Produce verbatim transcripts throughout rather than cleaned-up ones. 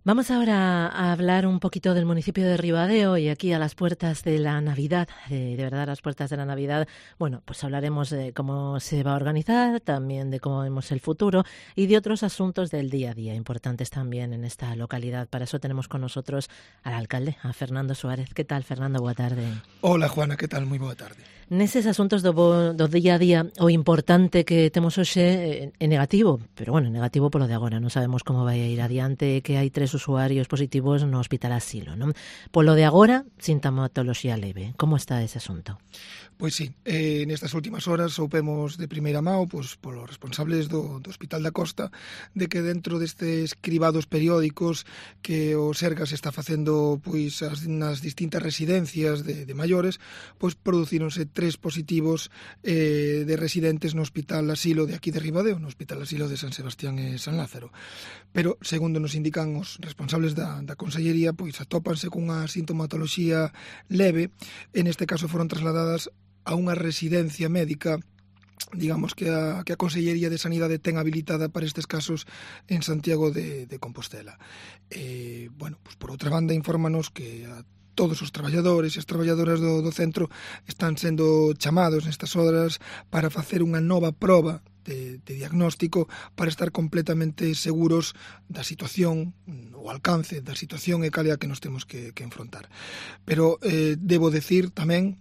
Vamos ahora a hablar un poquito del municipio de Ribadeo y aquí a las puertas de la Navidad, de, de verdad a las puertas de la Navidad. Bueno, pues hablaremos de cómo se va a organizar, también de cómo vemos el futuro y de otros asuntos del día a día importantes también en esta localidad. Para eso tenemos con nosotros al alcalde, a Fernando Suárez. ¿Qué tal, Fernando? Boa tarde. Hola, Juana, que tal? Moi boa tarde. Neses asuntos do, bo, do día a día, o importante que temos hoxe é negativo, pero bueno, negativo polo de agora, non sabemos como vai a ir adiante, que hai tres usuarios positivos no Hospital Asilo, non? Polo de agora, sintomatoloxía leve. Como está ese asunto? Pois sí, eh, nestas últimas horas soupemos de primeira mão pois, polos responsables do, do Hospital da Costa de que dentro destes cribados periódicos que o Sergas está facendo pois as, nas distintas residencias de, de maiores, pois producíronse tres positivos eh, de residentes no Hospital Asilo de aquí de Ribadeo, no Hospital Asilo de San Sebastián e San Lázaro. Pero, segundo nos indican os responsables da, da Consellería, pois atópanse cunha sintomatoloxía leve, e neste caso foron trasladadas a unha residencia médica, digamos que a, que a Consellería de Sanidade ten habilitada para estes casos en Santiago de, de Compostela. Eh, bueno, pues por outra banda, infórmanos que a todos os traballadores e as traballadoras do, do centro están sendo chamados nestas horas para facer unha nova proba de, de diagnóstico para estar completamente seguros da situación, o alcance da situación e cal é a que nos temos que, que enfrontar. Pero eh, debo decir tamén,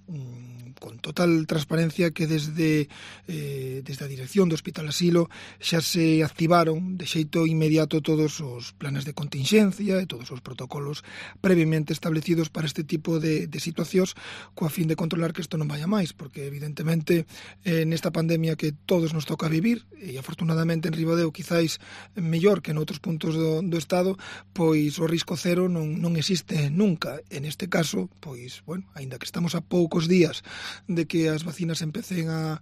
con total transparencia, que desde eh, desde a dirección do Hospital Asilo xa se activaron de xeito inmediato todos os planes de contingencia e todos os protocolos previamente establecidos para este tipo de, de situacións, coa fin de controlar que isto non vaya máis, porque evidentemente eh, nesta pandemia que todos nos toca vivir, e afortunadamente en Ribadeo quizáis mellor que en outros puntos do, do Estado, pois o risco cero non, non existe nunca. En este caso, pois, bueno, aínda que estamos a poucos días de que as vacinas empecen a,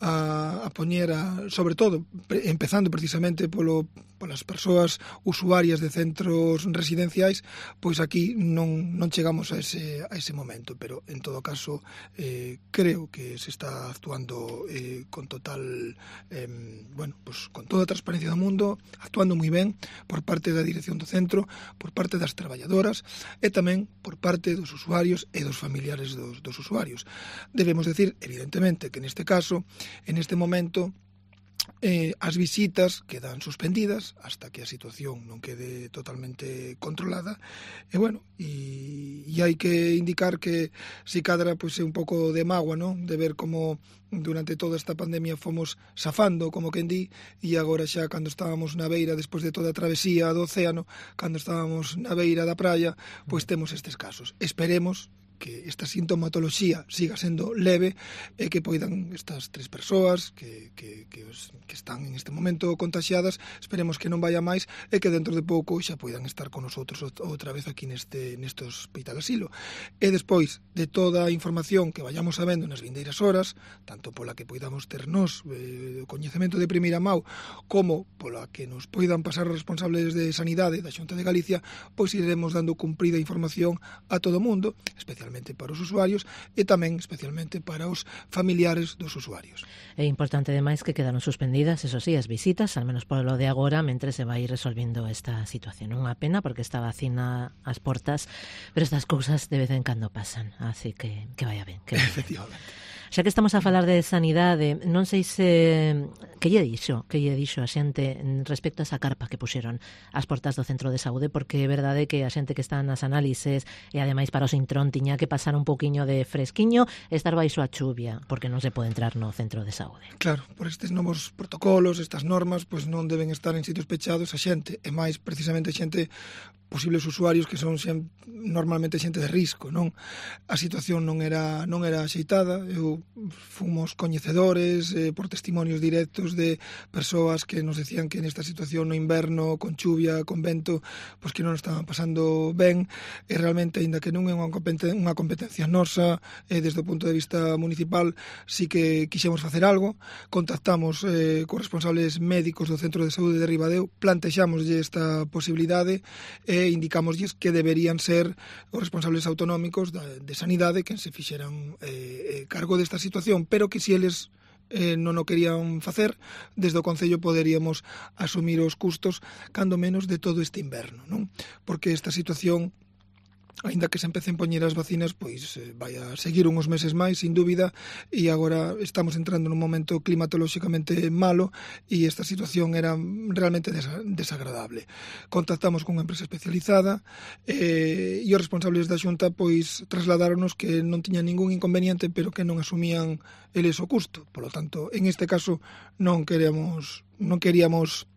a, a poñer, a, sobre todo, pre, empezando precisamente polo, polas persoas usuarias de centros residenciais, pois aquí non, non chegamos a ese, a ese momento, pero en todo caso eh, creo que se está actuando eh, con total, eh, bueno, pues con toda a transparencia do mundo, actuando moi ben por parte da dirección do centro, por parte das traballadoras e tamén por parte dos usuarios e dos familiares dos, dos usuarios. Debemos decir, evidentemente, que neste caso, en este momento, eh, as visitas quedan suspendidas hasta que a situación non quede totalmente controlada. E, bueno, e, e hai que indicar que si cadra pois, é un pouco de mágoa, non? De ver como durante toda esta pandemia fomos safando, como quen di, e agora xa cando estábamos na beira, despois de toda a travesía do océano, cando estábamos na beira da praia, pois temos estes casos. Esperemos que esta sintomatoloxía siga sendo leve e que poidan estas tres persoas que, que, que, os, que están en este momento contaxiadas, esperemos que non vaya máis e que dentro de pouco xa poidan estar con nosotros outra vez aquí neste, neste Hospital Asilo. E despois de toda a información que vayamos sabendo nas vindeiras horas, tanto pola que poidamos ternos eh, coñecemento de primeira mão como pola que nos poidan pasar os responsables de Sanidade da Xunta de Galicia, pois iremos dando cumprida información a todo o mundo, especialmente para os usuarios e tamén especialmente para os familiares dos usuarios. É importante ademais que quedaron suspendidas, eso sí, as visitas, al menos polo de agora, mentre se vai resolvendo esta situación. Unha pena porque está a vacina ás portas, pero estas cousas de vez en cando pasan, así que que vaya ben. Que vaya ben. Efectivamente. Xa que estamos a falar de sanidade, non sei se que lle dixo, que lle dixo a xente respecto a esa carpa que puxeron ás portas do centro de saúde, porque é verdade que a xente que está nas análises e ademais para o Sintrón tiña que pasar un poquiño de fresquiño e estar baixo a chuvia, porque non se pode entrar no centro de saúde. Claro, por estes novos protocolos, estas normas, pois non deben estar en sitios pechados a xente, e máis precisamente a xente posibles usuarios que son xente, normalmente xente de risco, non? A situación non era non era axeitada, eu fomos coñecedores eh, por testimonios directos de persoas que nos decían que nesta situación no inverno, con chuvia, con vento, pois que non estaban pasando ben, e realmente, aínda que non é unha competencia, unha competencia nosa, eh, desde o punto de vista municipal, sí que quixemos facer algo, contactamos eh, con responsables médicos do Centro de Saúde de Ribadeo, plantexámoslle esta posibilidade e indicámoslles que deberían ser os responsables autonómicos da, de sanidade que se fixeran eh, cargo desta situación, pero que se eles eh, non o querían facer, desde o Concello poderíamos asumir os custos, cando menos, de todo este inverno, non? Porque esta situación, aínda que se empecen poñer as vacinas, pois eh, vai a seguir uns meses máis, sin dúbida, e agora estamos entrando nun momento climatolóxicamente malo e esta situación era realmente desa, desagradable. Contactamos con unha empresa especializada eh, e os responsables da Xunta pois trasladáronos que non tiñan ningún inconveniente, pero que non asumían eles o custo. Por lo tanto, en este caso non queremos non queríamos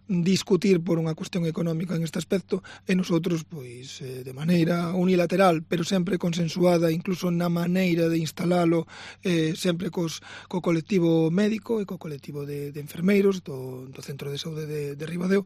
discutir por unha cuestión económica en este aspecto e nosotros, pois, eh, de maneira unilateral, pero sempre consensuada, incluso na maneira de instalalo, eh, sempre cos, co colectivo médico e co colectivo de, de enfermeiros do, do Centro de Saúde de, de Ribadeo,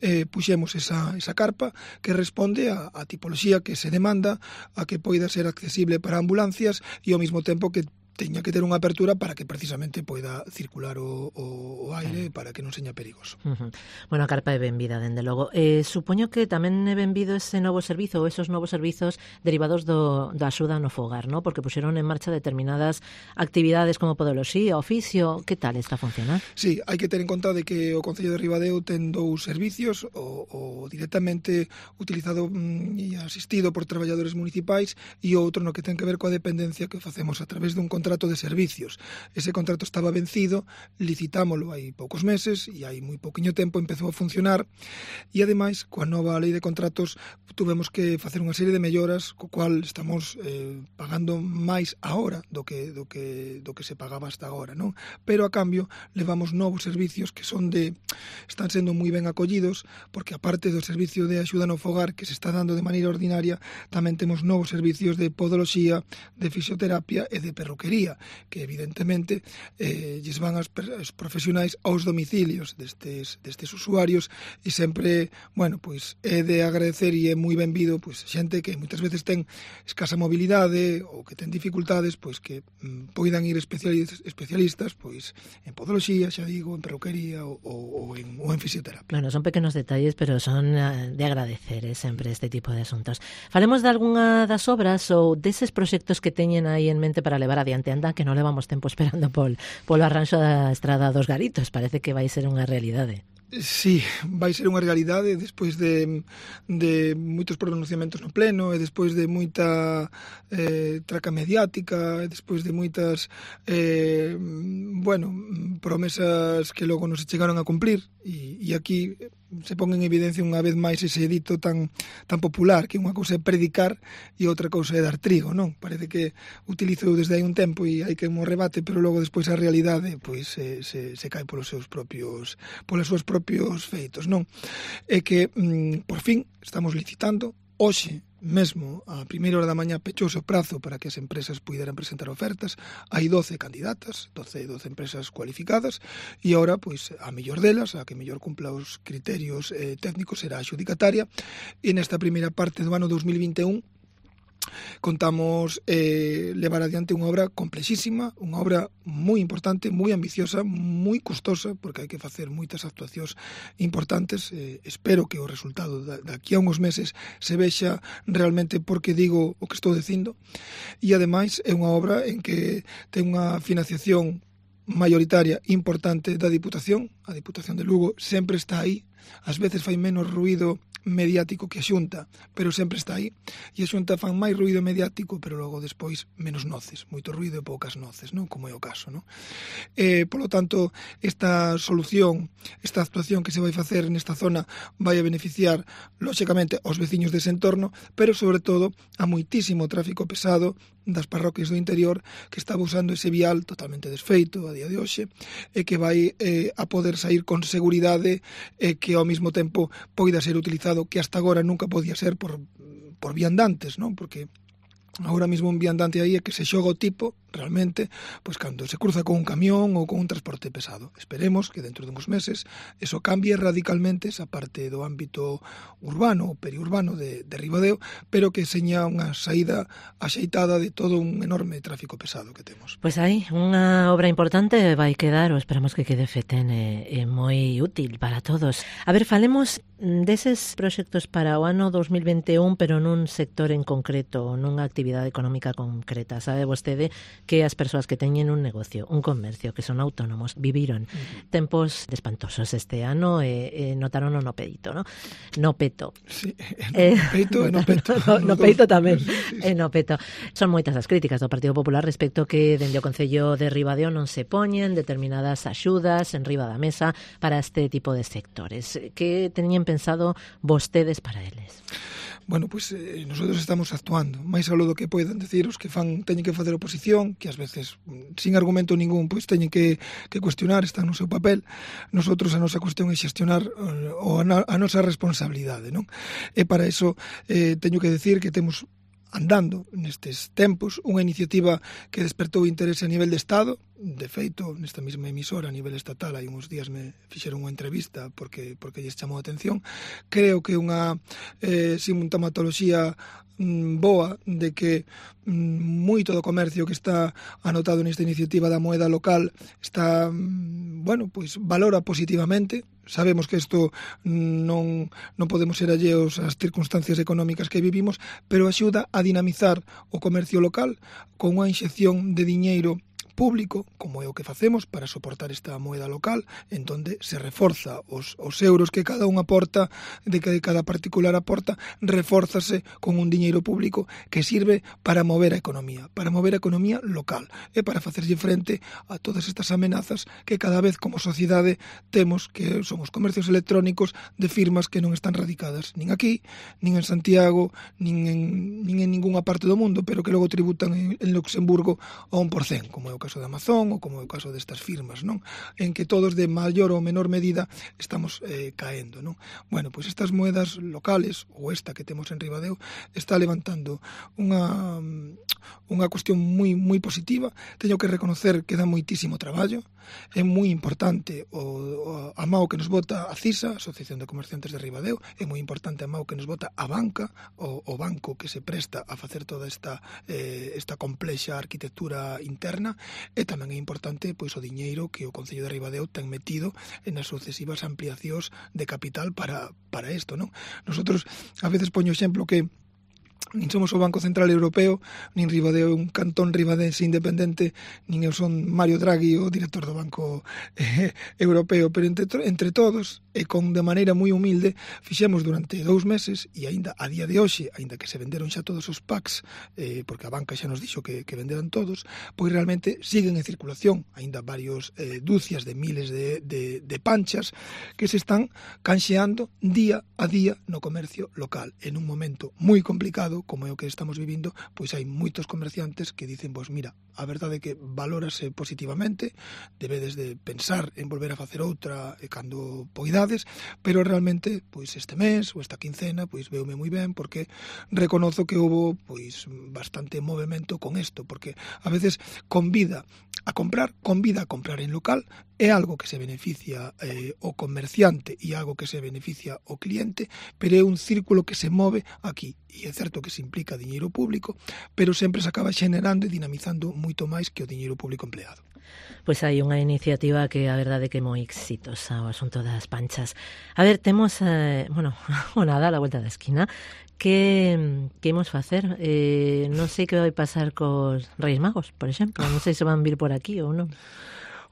eh, puxemos esa, esa carpa que responde a, a tipoloxía que se demanda, a que poida ser accesible para ambulancias e ao mesmo tempo que teña que ter unha apertura para que precisamente poida circular o, o, o aire para que non seña perigoso. Uh-huh. Bueno, a carpa é benvida, dende logo. Eh, supoño que tamén é benvido ese novo servizo ou esos novos servizos derivados do, da axuda no fogar, ¿no? Porque puxeron en marcha determinadas actividades como podoloxía, oficio. Que tal está a funcionar? Sí, hai que ter en conta de que o Concello de Ribadeo ten dous servicios, o, o directamente utilizado mm, e asistido por traballadores municipais e outro no que ten que ver coa dependencia que facemos a través dun contrato de servicios. Ese contrato estaba vencido, licitámolo hai poucos meses e hai moi pouquiño tempo empezou a funcionar e ademais coa nova lei de contratos tuvemos que facer unha serie de melloras co cual estamos eh, pagando máis ahora do que do que do que se pagaba hasta agora, non? Pero a cambio levamos novos servicios que son de están sendo moi ben acollidos porque aparte do servicio de axuda no fogar que se está dando de maneira ordinaria, tamén temos novos servicios de podoloxía, de fisioterapia e de perruquería que evidentemente eh, lles van as, as profesionais aos domicilios destes, destes usuarios e sempre, bueno, pois é de agradecer e é moi benvido pois xente que moitas veces ten escasa mobilidade ou que ten dificultades, pois que mm, poidan ir especialistas, especialistas pois en podoloxía, xa digo, en perruquería ou, ou, en, ou en fisioterapia. Bueno, son pequenos detalles, pero son de agradecer eh, sempre este tipo de asuntos. Falemos de algunha das obras ou deses proxectos que teñen aí en mente para levar adiante. Anda, que non levamos tempo esperando pol, polo arranxo da Estrada dos Garitos. Parece que vai ser unha realidade. Sí, vai ser unha realidade despois de, de moitos pronunciamentos no pleno e despois de moita eh, traca mediática e despois de moitas eh, bueno, promesas que logo non se chegaron a cumplir e, e aquí se pon en evidencia unha vez máis ese dito tan, tan popular que unha cousa é predicar e outra cousa é dar trigo, non? Parece que utilizo desde hai un tempo e hai que un rebate, pero logo despois a realidade pois se, se, se cae polos seus propios polas súas propios feitos, non? É que, mm, por fin, estamos licitando. Hoxe mesmo, a primeira hora da mañá, pechouse o prazo para que as empresas puderan presentar ofertas. Hai doce candidatas, doce, doce empresas cualificadas, e agora, pois, a mellor delas, a que mellor cumpla os criterios eh, técnicos, será a xudicataria, e nesta primeira parte do ano dos mil vinte e un, contamos eh, levar adiante unha obra complexísima, unha obra moi importante, moi ambiciosa, moi custosa, porque hai que facer moitas actuacións importantes. Eh, espero que o resultado da, daqui a uns meses se vexa realmente porque digo o que estou dicindo, e ademais é unha obra en que ten unha financiación mayoritaria importante da Diputación. A Diputación de Lugo sempre está aí, ás veces fai menos ruído mediático que a Xunta, pero sempre está aí, e a Xunta fan máis ruído mediático, pero logo despois menos noces, moito ruído e poucas noces, non? Como é o caso, non? Eh, polo tanto, esta solución, esta actuación que se vai facer nesta zona vai a beneficiar, lóxicamente, aos veciños dese entorno, pero sobre todo a moitísimo tráfico pesado das parroquias do interior que estaba usando ese vial totalmente desfeito a día de hoxe e que vai eh, a poder sair con seguridade e que ao mesmo tempo poida ser utilizado, que hasta agora nunca podía ser por, por viandantes, non? Porque agora mesmo un viandante aí é que se xoga o tipo realmente, pois cando se cruza con un camión ou con un transporte pesado. Esperemos que dentro de uns meses eso cambie radicalmente esa parte do ámbito urbano ou periurbano de, de Ribadeo, pero que seña unha saída axeitada de todo un enorme tráfico pesado que temos. Pois aí, unha obra importante vai quedar, ou esperamos que quede feten e, e moi útil para todos. A ver, falemos deses proxectos para o ano dos mil vinte e un, pero nun sector en concreto, nunha actividade económica concreta. Sabe vostede que as persoas que teñen un negocio, un comercio, que son autónomos, viviron uh-huh. tempos espantosos este ano e, e notaron no peito, no? No peto. Sí, no peito e no peto. No, no peito tamén, e no peto. Son moitas as críticas do Partido Popular respecto que dende o Concello de Ribadeo non se poñen determinadas axudas en riba da mesa para este tipo de sectores. Que teñen pensado vostedes para eles? Bueno, pois pues, eh, nosotros estamos actuando, máis aló do que poidan decir os que fan, teñen que facer oposición, que ás veces, sin argumento ningún, pois teñen que, que cuestionar, están no seu papel. Nosotros a nosa cuestión é xestionar o, a, a nosa responsabilidade, non? E para iso eh, teño que decir que temos andando nestes tempos unha iniciativa que despertou interese a nivel de Estado. De feito, nesta mesma emisora a nivel estatal hai uns días me fixeron unha entrevista porque porque lles chamou a atención. Creo que unha eh, sintomatoloxía mm, boa de que mm, moito do comercio que está anotado nesta iniciativa da moeda local está, mm, bueno, pois valora positivamente. Sabemos que isto non, non podemos ser alleos ás circunstancias económicas que vivimos, pero axuda a dinamizar o comercio local con unha inxección de diñeiro público, como é o que facemos para soportar esta moeda local, en donde se reforza os, os euros que cada un aporta, de que cada particular aporta, refórzase con un diñeiro público que sirve para mover a economía, para mover a economía local e para facerlle frente a todas estas amenazas que cada vez como sociedade temos, que son os comercios electrónicos de firmas que non están radicadas nin aquí, nin en Santiago, nin en, nin en ningunha parte do mundo, pero que logo tributan en, en Luxemburgo a un por cento, como é o caso de Amazon ou como é o caso destas firmas, non? En que todos de maior ou menor medida estamos eh, caendo, non? Bueno, pois estas moedas locales ou esta que temos en Ribadeo está levantando unha unha cuestión moi moi positiva. Teño que reconocer que dá moitísimo traballo. É moi importante o, o a mao que nos vota a CISA, Asociación de Comerciantes de Ribadeo, é moi importante a mao que nos vota a banca, o, o banco que se presta a facer toda esta eh, esta complexa arquitectura interna. E tamén é importante pois o diñeiro que o Concello de Ribadeo ten metido en as sucesivas ampliacións de capital para para isto, non? Nosotros a veces poño exemplo que nin somos o Banco Central Europeo, nin Ribadeo é un cantón ribadense independente, nin eu son Mario Draghi, o director do Banco eh, Europeo, pero entre, entre todos, e con de maneira moi humilde, fixemos durante dous meses, e aínda a día de hoxe, aínda que se venderon xa todos os packs, eh, porque a banca xa nos dixo que, que venderan todos, pois realmente siguen en circulación, aínda varios eh, dúcias de miles de, de, de panchas que se están canxeando día a día no comercio local, en un momento moi complicado, como é o que estamos vivindo, pois hai moitos comerciantes que dicen, pois mira, a verdade é que valórase positivamente, debedes de pensar en volver a facer outra e cando poidades, pero realmente, pois este mes ou esta quincena, pois veume moi ben, porque reconozo que houve pois bastante movimento con isto, porque a veces convida a comprar, convida a comprar en local, é algo que se beneficia eh, o comerciante e algo que se beneficia o cliente, pero é un círculo que se move aquí, e é certo que se implica diñeiro público, pero sempre se acaba xenerando e dinamizando moito máis que o diñeiro público empleado. Pois hai unha iniciativa que a verdade que é moi exitosa, o asunto das panchas. A ver, temos, eh, bueno, o Nadal a vuelta da esquina. Que, que imos facer? Eh, non sei que vai pasar cos Reis Magos, por exemplo. Non sei se van vir por aquí ou non.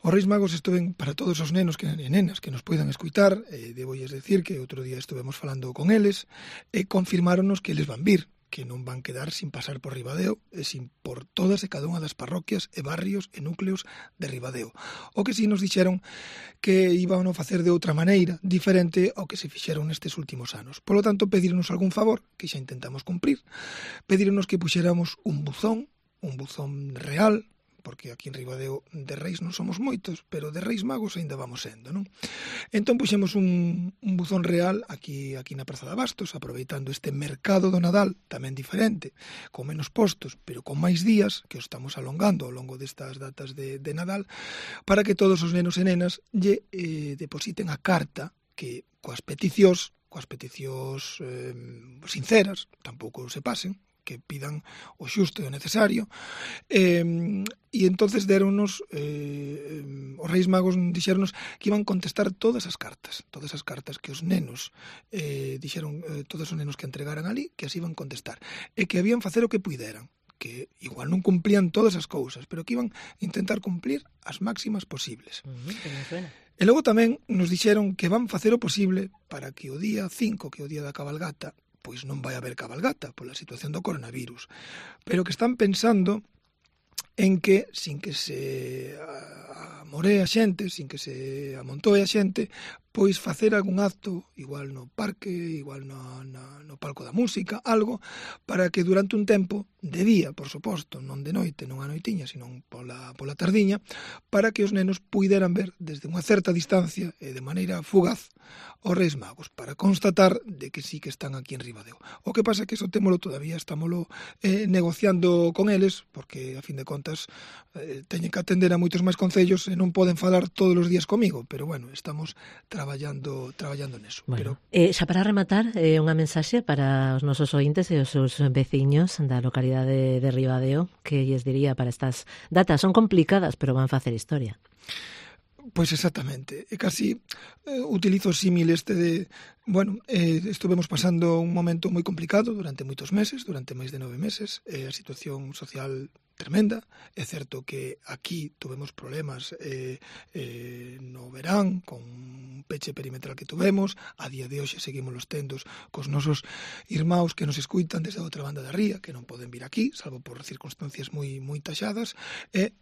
Os Reis Magos estuven para todos os nenos que, e nenas que nos poidan escuitar. Eh, debólles decir que outro día estuvemos falando con eles e confirmáronos que eles van vir, que non van quedar sin pasar por Ribadeo e sin por todas e cada unha das parroquias e barrios e núcleos de Ribadeo. O que si nos dixeron que iban a facer de outra maneira, diferente ao que se fixeron nestes últimos anos. Por lo tanto, pedirnos algún favor, que xa intentamos cumprir, pedirnos que puxéramos un buzón, un buzón real, porque aquí en Ribadeo de Reis non somos moitos, pero de Reis Magos ainda vamos sendo, non? Entón puxemos un, un buzón real aquí aquí na Praza de Abastos, aproveitando este mercado do Nadal tamén diferente, con menos postos, pero con máis días, que os estamos alongando ao longo destas datas de, de Nadal, para que todos os nenos e nenas lle eh, depositen a carta que coas peticións, coas peticións eh, sinceras, tampouco se pasen, que pidan o xusto e o necesario, eh, e entonces deronnos eh, os Reis Magos dixeronos que iban contestar todas as cartas, todas as cartas que os nenos eh, dixeron, eh, todos os nenos que entregaran ali, que as iban contestar, e que habían facer o que puideran, que igual non cumplían todas as cousas, pero que iban a intentar cumplir as máximas posibles. Uh-huh, que me suena. E logo tamén nos dixeron que van facer o posible para que o día cinco, que é o día da cabalgata, pois non vai haber cabalgata pola situación do coronavirus, pero que están pensando en que, sin que se amoree a xente, sin que se amontoe a xente, pois facer algún acto, igual no parque, igual no, no, no palco da música, algo, para que durante un tempo, de día, por suposto, non de noite, non a noitiña, sino pola, pola tardiña, para que os nenos puideran ver desde unha certa distancia e de maneira fugaz os Reis Magos, para constatar de que sí que están aquí en Ribadeo. O que pasa é que iso témolo todavía, estámolo eh, negociando con eles, porque, a fin de contas, eh, teñen que atender a moitos máis concellos e non poden falar todos os días comigo, pero, bueno, estamos traballando traballando neso. Bueno, pero... eh, xa para rematar, eh, unha mensaxe para os nosos ointes e os seus veciños da localidade de Ribadeo, que lles diría para estas datas. Son complicadas, pero van facer historia. Pois exactamente, e casi eh, utilizo o símil este de, bueno, eh, estuvemos pasando un momento moi complicado durante moitos meses, durante máis de nove meses, eh, a situación social tremenda. É certo que aquí tuvemos problemas eh, eh, no verán, con un peche perimetral que tuvemos, a día de hoxe seguimos los tendos cos nosos irmãos que nos escuitan desde a outra banda da ría, que non poden vir aquí, salvo por circunstancias moi moi taxadas, e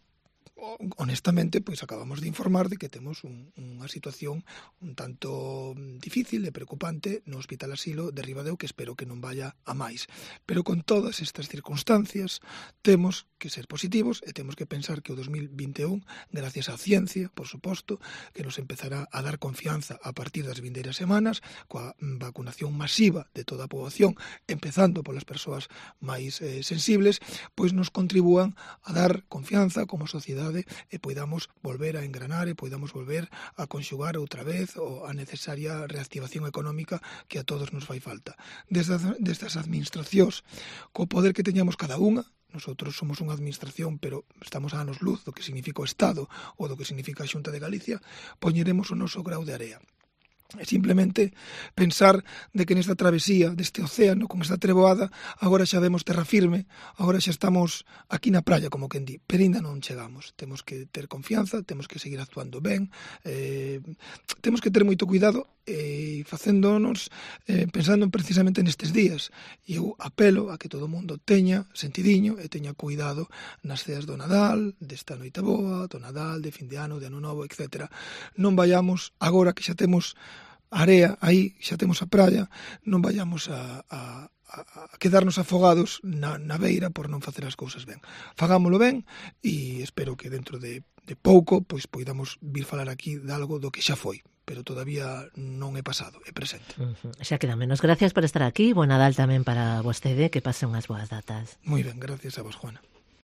honestamente, pois acabamos de informar de que temos un, unha situación un tanto difícil e preocupante no Hospital Asilo de Ribadeo, que espero que non vaya a máis. Pero con todas estas circunstancias temos que ser positivos e temos que pensar que o dos mil vinte e un, gracias á ciencia, por suposto, que nos empezará a dar confianza a partir das vindeiras semanas, coa vacunación masiva de toda a poboación, empezando polas persoas máis eh, sensibles, pois nos contribúan a dar confianza como sociedade e poidamos volver a engranar e poidamos volver a conxugar outra vez a necesaria reactivación económica que a todos nos fai falta. Desde, destas administracións, co poder que teñamos cada unha, nosotros somos unha administración, pero estamos a anos luz do que significa o Estado ou do que significa a Xunta de Galicia, poñeremos o noso grau de area. É simplemente pensar de que nesta travesía deste océano, con esta treboada, agora xa vemos terra firme, agora xa estamos aquí na praia, como quen di, pero ainda non chegamos. Temos que ter confianza, temos que seguir actuando ben, eh, temos que ter moito cuidado e eh, facéndonos, eh, pensando precisamente nestes días. E eu apelo a que todo o mundo teña sentidiño e teña cuidado nas ceas do Nadal, desta noite boa, do Nadal, de fin de ano, de ano novo, etcétera. Non vayamos, agora que xa temos area, aí xa temos a praia, non vayamos a, a, a quedarnos afogados na, na beira por non facer as cousas ben. Fagámolo ben e espero que dentro de, de pouco pois poidamos vir falar aquí de algo do que xa foi, pero todavía non é pasado, é presente. Uh-huh. Xa queda menos. Gracias por estar aquí. Buen Nadal tamén para vostede, que pase unhas boas datas. Moi ben, gracias a vos, Juana.